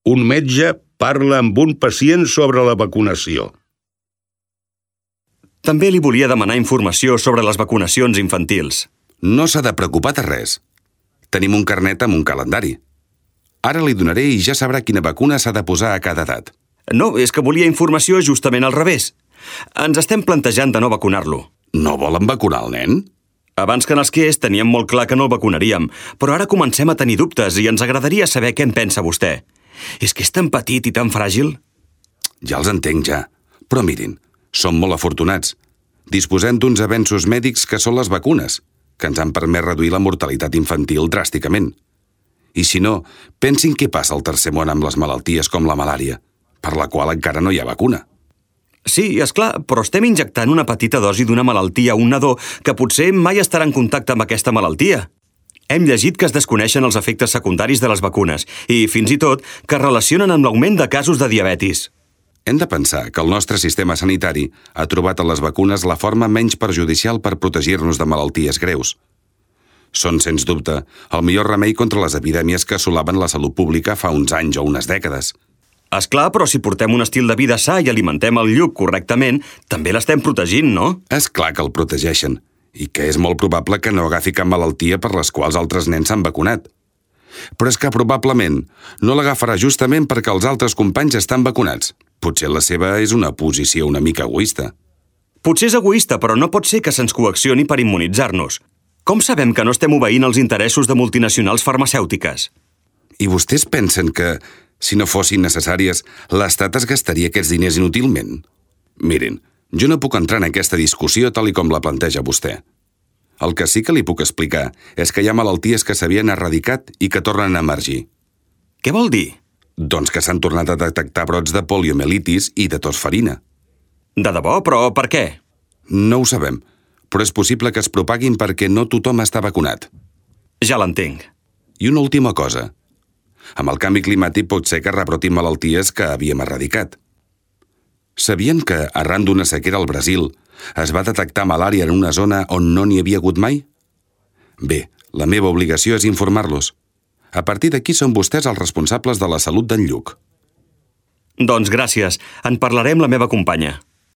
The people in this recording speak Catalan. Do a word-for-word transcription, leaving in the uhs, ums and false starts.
Un metge parla amb un pacient sobre la vacunació. També li volia demanar informació sobre les vacunacions infantils. No s'ha de preocupar de res. Tenim un carnet amb un calendari. Ara li donaré i ja sabrà quina vacuna s'ha de posar a cada edat. No, és que volia informació justament al revés. Ens estem plantejant de no vacunar-lo. No volen vacunar el nen? Abans que nasqués teníem molt clar que no el vacunaríem, però ara comencem a tenir dubtes i ens agradaria saber què en pensa vostè. És que és tan petit i tan fràgil. Ja els entenc, ja. Però mirin, som molt afortunats. Disposem d'uns avenços mèdics que són les vacunes, que ens han permès reduir la mortalitat infantil dràsticament. I si no, pensin què passa al tercer món amb les malalties com la malària, per la qual encara no hi ha vacuna. Sí, és clar, però estem injectant una petita dosi d'una malaltia a un nadó que potser mai estarà en contacte amb aquesta malaltia. Hem llegit que es desconeixen els efectes secundaris de les vacunes i, fins i tot, que es relacionen amb l'augment de casos de diabetis. Hem de pensar que el nostre sistema sanitari ha trobat a les vacunes la forma menys perjudicial per protegir-nos de malalties greus. Són, sens dubte, el millor remei contra les epidèmies que assolaven la salut pública fa uns anys o unes dècades. És clar, però si portem un estil de vida sa i alimentem el lluc correctament, també l'estem protegint, no? És clar que el protegeixen, i que és molt probable que no agafi cap malaltia per les quals altres nens s'han vacunat. Però és que probablement no l'agafarà justament perquè els altres companys estan vacunats. Potser la seva és una posició una mica egoista. Potser és egoista, però no pot ser que se'ns coaccioni per immunitzar-nos. Com sabem que no estem obeint els interessos de multinacionals farmacèutiques? I vostès pensen que, si no fossin necessàries, l'Estat es gastaria aquests diners inútilment? Mirin, jo no puc entrar en aquesta discussió tal i com la planteja vostè. El que sí que li puc explicar és que hi ha malalties que s'havien erradicat i que tornen a emergir. Què vol dir? Doncs que s'han tornat a detectar brots de poliomielitis i de tosferina. De debò? Però per què? No ho sabem, però és possible que es propaguin perquè no tothom està vacunat. Ja l'entenc. I una última cosa. Amb el canvi climàtic pot ser que rebrotin malalties que havíem erradicat. Sabien que, arran d'una sequera al Brasil, es va detectar malària en una zona on no n'hi havia hagut mai? Bé, la meva obligació és informar-los. A partir d'aquí són vostès els responsables de la salut d'en Lluc. Doncs gràcies. En parlaré amb la meva companya.